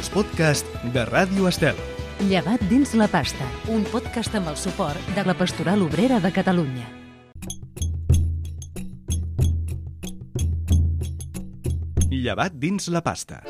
els podcasts de Ràdio Estel. Llevat dins la pasta, un podcast amb el suport de la Pastoral Obrera de Catalunya. Llevat dins la pasta.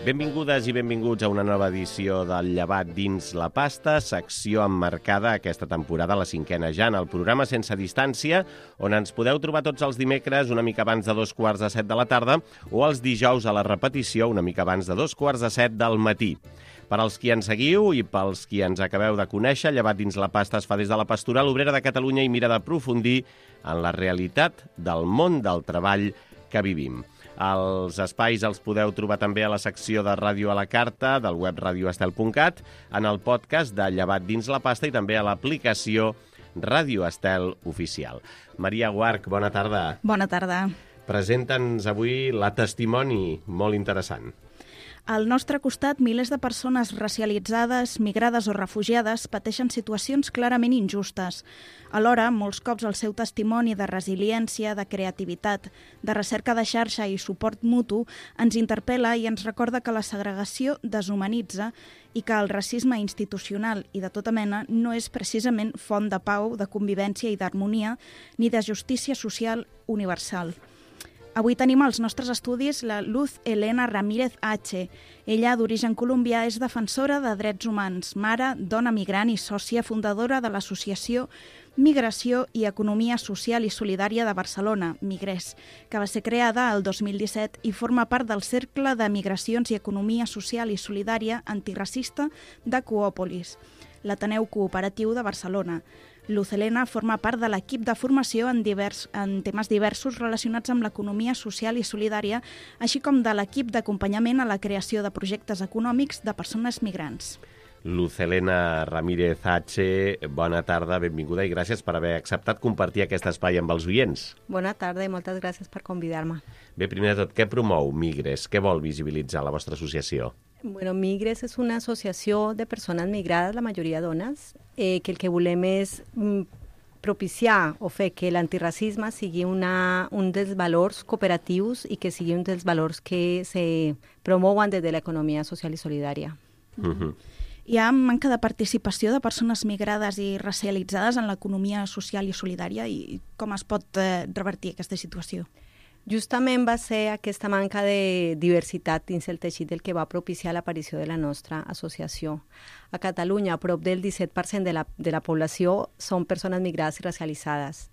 Benvingudes i benvinguts a una nova edició del Llevat dins la pasta, secció emmarcada aquesta temporada, la 5a ja, en el programa Sense Distància, on ens podeu trobar tots els dimecres una mica abans de 7:15 de la tarda o els dijous a la repetició una mica abans de 7:15 del matí. Per als qui ens seguiu i pels qui ens acabeu de conèixer, Llevat dins la pasta es fa des de la Pastoral Obrera de Catalunya i mira d'aprofundir en la realitat del món del treball que vivim. Els espais els podeu trobar també a la secció de Ràdio a la Carta del web radioestel.cat, en el podcast de Llevat dins la pasta i també a l'aplicació Ràdio Estel Oficial. Maria Guarch, bona tarda. Bona tarda. Presenta'ns avui la testimoni molt interessant. Al nostre costat, milers de persones racialitzades, migrades o refugiades pateixen situacions clarament injustes. Alhora, molts cops el seu testimoni de resiliència, de creativitat, de recerca de xarxa i suport mutu ens interpel·la i ens recorda que la segregació deshumanitza i que el racisme institucional i de tota mena no és precisament font de pau, de convivència i d'harmonia, ni de justícia social universal. Avui tenim als nostres estudis la Luz Helena Ramírez H. Ella, d'origen colombià, és defensora de drets humans, mare, dona migrant i sòcia fundadora de l'associació Migració i Economia Social i Solidària de Barcelona, Migrés, que va ser creada el 2017 i forma part del Cercle de Migracions i Economia Social i Solidària Antiracista de Coòpolis, l'Ateneu Cooperatiu de Barcelona. Luz Helena forma part de l'equip de formació en temes diversos relacionats amb l'economia social i solidària, així com de l'equip d'acompanyament a la creació de projectes econòmics de persones migrants. Luz Helena Ramírez H., bona tarda, benvinguda i gràcies per haver acceptat compartir aquest espai amb els oients. Bona tarda i moltes gràcies per convidar-me. Bé, primer de tot, què promou Migres? Què vol visibilitzar la vostra associació? Bueno, Migres és una associació de persones migrades, la majoria dones, que el que volem és propiciar o fer que l'antiracisme sigui un dels valors cooperatius i que sigui un dels valors que se promouen des de l'economia social i solidària. Hi ha manca de participació de persones migrades i racialitzades en l'economia social i solidària i com es pot revertir aquesta situació? Justament va ser aquesta manca de diversitat dins el teixit el que va propiciar l'aparició de la nostra associació. A Catalunya, prop del 17% de la població són persones migrades i racialitzades.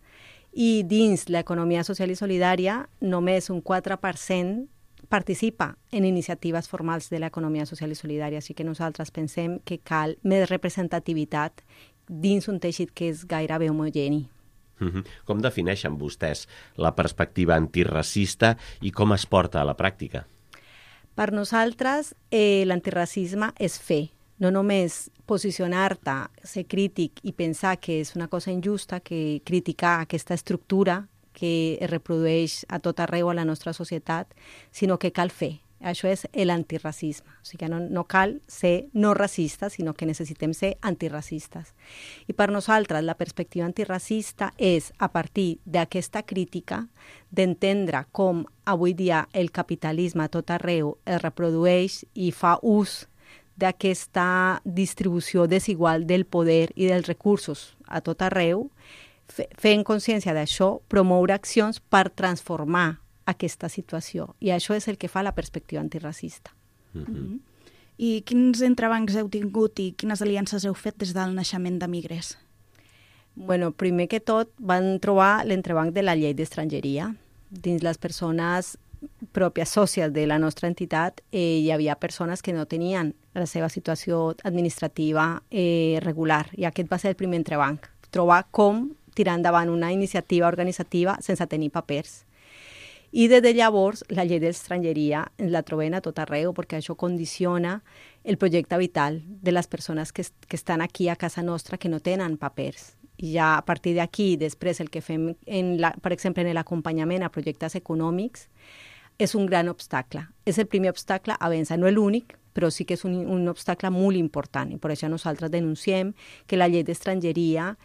I dins l'economia social i solidària, només un 4% participa en iniciatives formals de l'economia social i solidària. Així que nosaltres pensem que cal més representativitat dins un teixit que és gairebé homogeni. Com defineixen vostès la perspectiva antiracista i com es porta a la pràctica? Per nosaltres, l'antiracisme és fer. No només posicionar-te, ser crític i pensar que és una cosa injusta, que criticar aquesta estructura que es reprodueix a tot arreu a la nostra societat, sinó que cal fer. Això és l'antiracisme. O sigui que no cal ser no racistes, sinó que necessitem ser antiracistes. I per nosaltres la perspectiva antiracista és, a partir d'aquesta crítica, d'entendre com avui dia el capitalisme a tot arreu es reprodueix i fa ús d'aquesta distribució desigual del poder i dels recursos a tot arreu, fent consciència d'això, promoure accions per transformar aquesta situació. I això és el que fa la perspectiva antiracista. I quins entrebancs heu tingut i quines aliances heu fet des del naixement de Migres? Bueno, primer que tot van trobar l'entrebanc de la llei d'estrangeria. Dins les persones pròpies sòcies de la nostra entitat hi havia persones que no tenien la seva situació administrativa regular i aquest va ser el primer entrebanc. Trobar com tirar endavant una iniciativa organitzativa sense tenir papers. I des de llavors la llei d'estrangeria ens la trobem a tot arreu perquè això condiciona el projecte vital de les persones que estan aquí a casa nostra que no tenen papers. I ja a partir d'aquí, després el que fem, per exemple, en l'acompanyament a projectes econòmics, és un gran obstacle. És el primer obstacle a vèncer, no és l'únic, però sí que és un obstacle molt important. I per això nosaltres denunciem que la llei d'estrangeria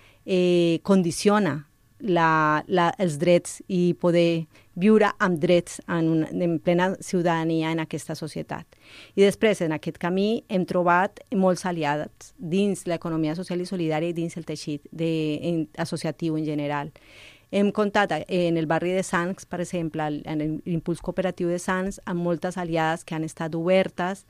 condiciona els drets i poder viure amb drets en plena ciutadania en aquesta societat. I després, en aquest camí, hem trobat molts aliats dins l'economia social i solidària i dins el teixit associatiu en general. Hem comptat en el barri de Sants, per exemple, en l'impuls cooperatiu de Sants, amb moltes aliades que han estat obertes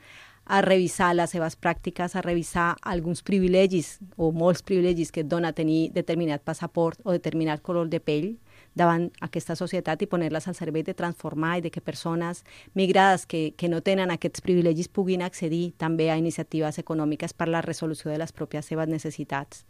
a revisar les seves pràctiques, a revisar alguns privilegis o molts privilegis que et dona tenir determinat passaport o determinat color de pell davant aquesta societat i poner-les al servei de transformar i de que persones migrades que no tenen aquests privilegis puguin accedir també a iniciatives econòmiques per la resolució de les pròpies seves necessitats.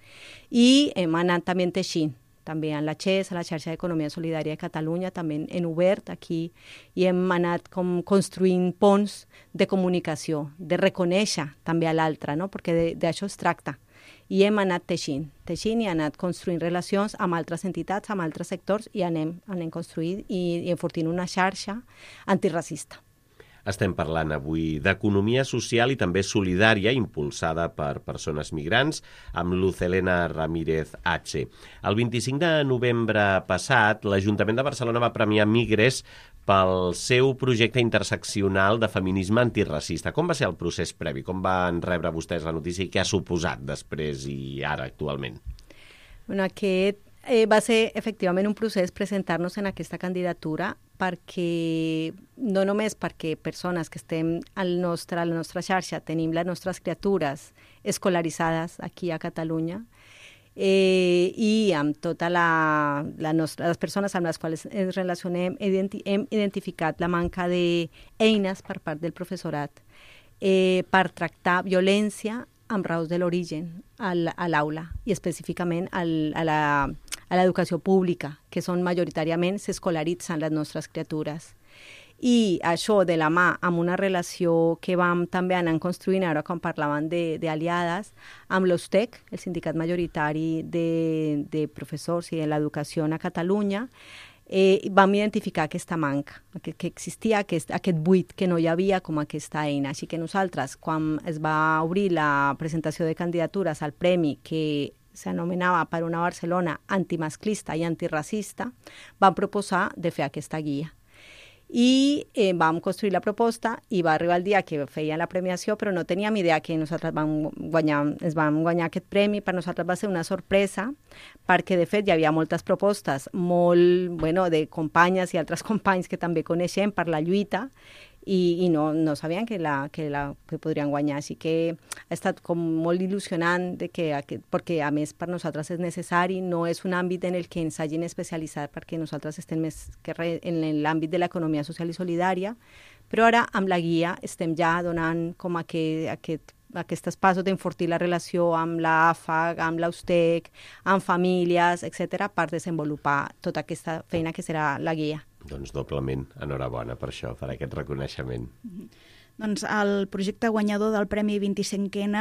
I hem anat també teixint, també en la XES, a la xarxa d'Economia Solidària de Catalunya, també hem obert aquí i hem anat com construint ponts de comunicació, de reconèixer també a l'altre, no? Perquè d'això es tracta. I hem anat teixint i anat construint relacions amb altres entitats, amb altres sectors i anem construint i enfortint una xarxa antiracista. Estem parlant avui d'economia social i també solidària impulsada per persones migrants amb Luz Helena Ramírez H. El 25 de novembre passat, l'Ajuntament de Barcelona va premiar Migres pel seu projecte interseccional de feminisme antiracista. Com va ser el procés previ? Com van rebre vostès la notícia i què ha suposat després i ara actualment? Bueno, aquest va ser efectivament un procés presentar-nos en aquesta candidatura perquè no només perquè persones que estem a la nostra xarxa tenim les nostres criatures escolaritzades aquí a Catalunya i amb totes les persones amb les quals ens relacionem hem identificat la manca d'eines per part del professorat per tractar violència amb raons de l'origen a l'aula i específicament a l'educació pública, que són majoritàriament s'escolaritzen les nostres criatures. I això de la mà amb una relació que vam també anar construint ara quan parlaven d'aliades amb l'USTEC, el sindicat majoritari de professors i de l'educació a Catalunya, vam identificar aquesta manca, que existia aquest buit que no hi havia com aquesta eina. Així que nosaltres, quan es va obrir la presentació de candidatures al premi que s'anomenava per una Barcelona antimasclista i antiracista, vam proposar de fer aquesta guia. I vam construir la proposta i va arribar el dia que feia la premiació, però no teníem idea que nosaltres vam guanyar aquest premi. Per nosaltres va ser una sorpresa perquè, de fet, hi havia moltes propostes de companyes i altres companys que també coneixem per la lluita i no sabien que podrien guanyar. Així que ha estat com molt il·lusionant perquè, a més, per nosaltres és necessari, no és un àmbit en el que ens hagin especialitzat perquè nosaltres estem més que res en l'àmbit de l'economia social i solidària, però ara amb la guia estem ja donant com aquests passos d'enfortir la relació amb l'AFAG, amb l'USTEC, amb famílies, etc., per desenvolupar tota aquesta feina que serà la guia. Doncs doblement, enhorabona per això, per aquest reconeixement. Doncs el projecte guanyador del Premi 25N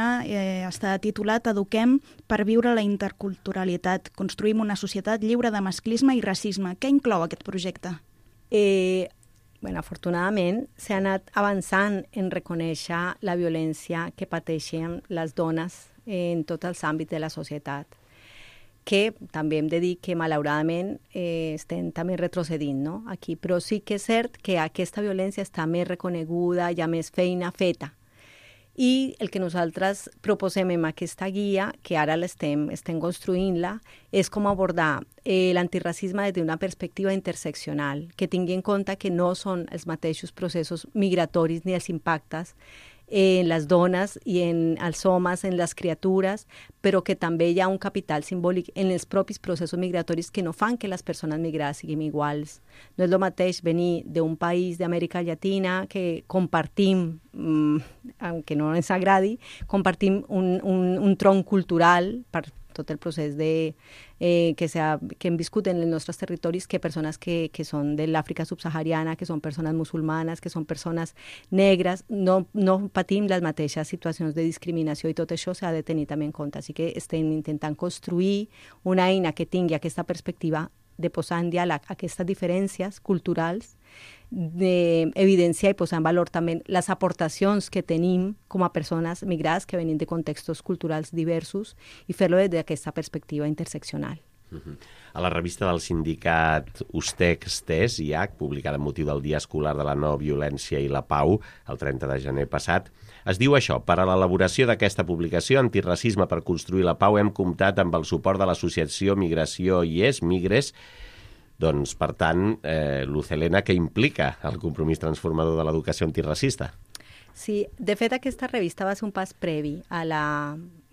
està titulat Eduquem per viure la interculturalitat. Construïm una societat lliure de masclisme i racisme. Què inclou aquest projecte? Afortunadament s'ha anat avançant en reconèixer la violència que pateixen les dones en tots els àmbits de la societat, que també hem de dir que malauradament estem també retrocedint, no? Aquí, però sí que és cert que aquesta violència està més reconeguda, hi ha més feina feta. I el que nosaltres proposem en aquesta guia, que ara estem construint-la, és com abordar l'antiracisme des d'una perspectiva interseccional, que tingui en compte que no són els mateixos processos migratoris ni els impactes en les dones i en els homes, en les criatures, però que també hi ha un capital simbòlic en els propis processos migratoris que no fan que les persones migrades siguin iguals. No és el mateix venir d'un país d'Amèrica Llatina que compartim, aunque no ens agradi, compartim un tronc cultural per tot el procés que hem viscut en els nostres territoris, que persones que són de l'Àfrica subsahariana, que són persones musulmanes, que són persones negres, no patim les mateixes situacions de discriminació i tot això s'ha de tenir també en compte. Així que estem intentant construir una eina que tingui aquesta perspectiva de posar en diàleg aquestes diferències culturals, d'evidenciar i posar en valor també les aportacions que tenim com a persones migrades que venim de contextos culturals diversos i fer-lo des d'aquesta perspectiva interseccional. A la revista del sindicat USTEC-STES, IAC, publicada amb motiu del Dia Escolar de la No Violència i la Pau, el 30 de gener passat, es diu això: per a l'elaboració d'aquesta publicació, Antiracisme per construir la pau, hem comptat amb el suport de l'associació Migració IES, Migres. Doncs, per tant, Luz Helena, què implica el compromís transformador de l'educació antiracista? Sí, de fet aquesta revista va ser un pas previ.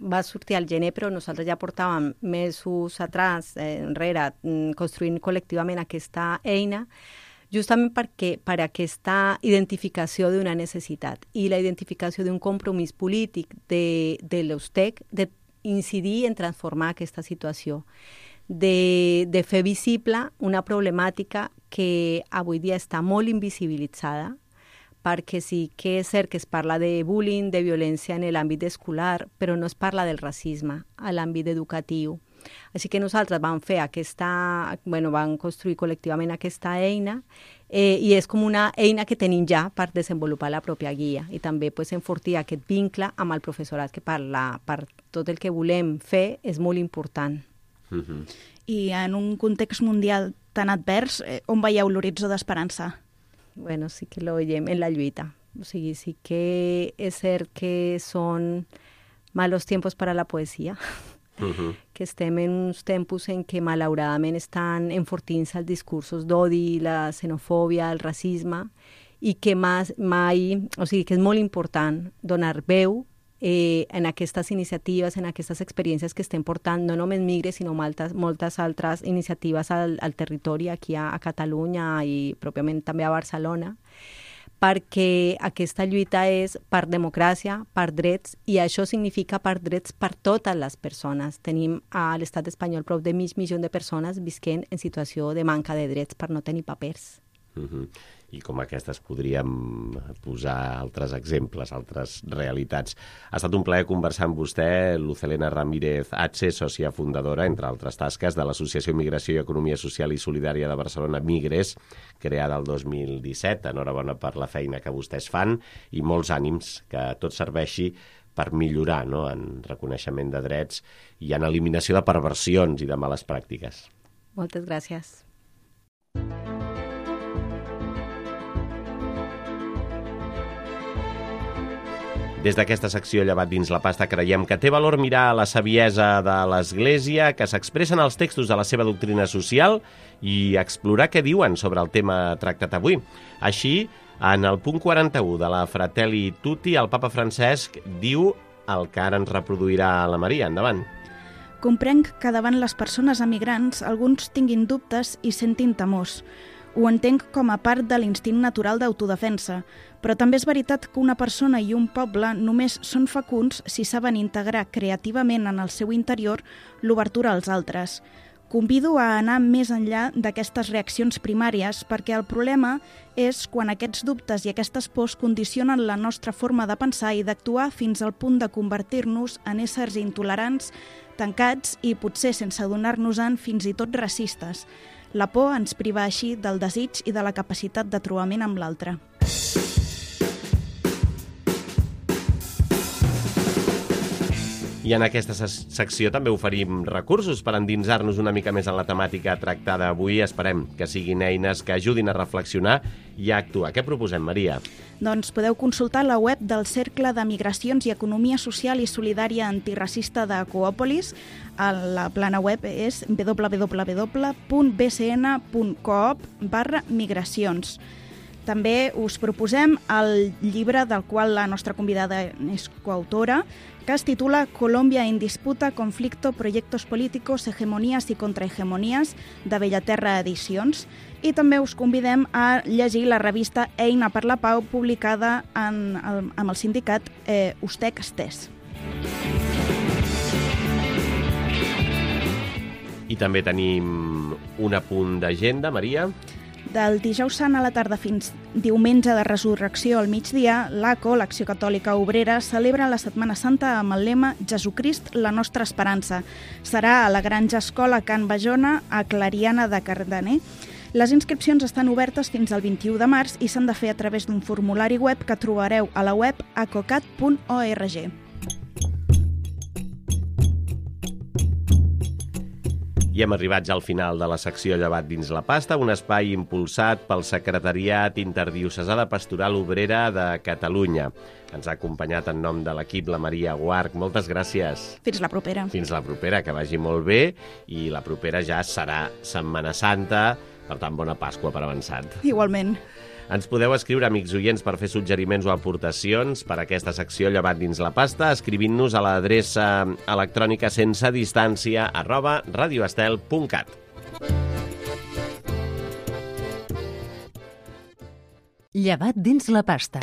Va sortir al gener, però nosaltres ja portàvem mesos atrás, enrere, construint col·lectivament aquesta eina, justament per aquesta identificació d'una necessitat i la identificació d'un compromís polític de l'USTEC d'incidir en transformar aquesta situació, de fer visible una problemàtica que avui dia està molt invisibilitzada, perquè sí que és cert que es parla de bullying, de violència en l'àmbit escolar, però no es parla del racisme a l'àmbit educatiu. Així que nosaltres vam vam construir col·lectivament aquesta eina i és com una eina que tenim ja per desenvolupar la pròpia guia i també enfortir aquest vincle amb el professorat, que per tot el que volem fer és molt important. I en un context mundial tan advers, on veieu l'horitzó d'esperança? Bueno, sí que lo veiem en la lluita. O sigui, sí que és cert que són malos tiempos para la poesia, que estem en uns tempos en què malauradament estan enfortint-se els discursos d'odi, la xenofòbia, el racisme, i que que és molt important donar veu en aquestes iniciatives, en aquestes experiències que estem portant, no només Migres, sinó moltes altres iniciatives al territori, aquí a Catalunya i pròpiament també a Barcelona, perquè aquesta lluita és per democràcia, per drets, i això significa per drets per totes les persones. Tenim a l'estat espanyol prop de 500 milions de persones visquent en situació de manca de drets per no tenir papers. I com aquestes podríem posar altres exemples, altres realitats. Ha estat un plaer conversar amb vostè, Luz Helena Ramírez H., sòcia fundadora, entre altres tasques, de l'Associació Migració i Economia Social i Solidària de Barcelona, Migres, creada el 2017. Enhorabona per la feina que vostès fan i molts ànims, que tot serveixi per millorar, no?, en reconeixement de drets i en eliminació de perversions i de males pràctiques. Moltes gràcies. Des d'aquesta secció Llevat dins la pasta creiem que té valor mirar la saviesa de l'Església que s'expressa en els textos de la seva doctrina social i explorar què diuen sobre el tema tractat avui. Així, en el punt 41 de la Fratelli Tutti, el papa Francesc diu el que ara ens reproduirà la Maria. Endavant. Comprenc que davant les persones emigrants alguns tinguin dubtes i sentin temors. Ho entenc com a part de l'instint natural d'autodefensa, però també és veritat que una persona i un poble només són fecunds si saben integrar creativament en el seu interior l'obertura als altres. Convido a anar més enllà d'aquestes reaccions primàries perquè el problema és quan aquests dubtes i aquestes pors condicionen la nostra forma de pensar i d'actuar fins al punt de convertir-nos en éssers intolerants, tancats i potser sense adonar-nos-en fins i tot racistes. La por ens priva així del desig i de la capacitat de trobament amb l'altre. I en aquesta secció també oferim recursos per endinsar-nos una mica més en la temàtica tractada avui. Esperem que siguin eines que ajudin a reflexionar i a actuar. Què proposem, Maria? Doncs podeu consultar la web del Cercle de Migracions i Economia Social i Solidària Antiracista de Coòpolis. La plana web és www.bcn.coop/migracions. També us proposem el llibre del qual la nostra convidada és coautora, que es titula Colombia en disputa, conflicto, proyectos políticos, hegemonías y contrahegemonías, de Bellaterra Edicions. I també us convidem a llegir la revista Eina per la Pau, publicada amb el sindicat USTEC-STES. I també tenim un apunt d'agenda, Maria. Del dijous sant a la tarda fins diumenge de Resurrecció al migdia, l'ACO, l'Acció Catòlica Obrera, celebra la Setmana Santa amb el lema Jesucrist, la nostra esperança. Serà a la Granja Escola Can Bajona, a Clariana de Cardener. Les inscripcions estan obertes fins al 21 de març i s'han de fer a través d'un formulari web que trobareu a la web acocat.org. I hem arribat ja al final de la secció Llevat dins la pasta, un espai impulsat pel Secretariat Interdiocesà de Pastoral Obrera de Catalunya. Ens ha acompanyat en nom de l'equip la Maria Guarch. Moltes gràcies. Fins la propera. Fins la propera, que vagi molt bé. I la propera ja serà Setmana Santa, per tant, bona Pasqua per avançat. Igualment. Ens podeu escriure, amics oients, per fer suggeriments o aportacions per a aquesta secció Llevat dins la pasta, escrivint-nos a l'adreça electrònica sensedistància@radioestel.cat. Llevat dins la pasta.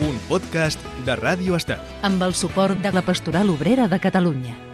Un podcast de Ràdio Estel. Amb el suport de la Pastoral Obrera de Catalunya.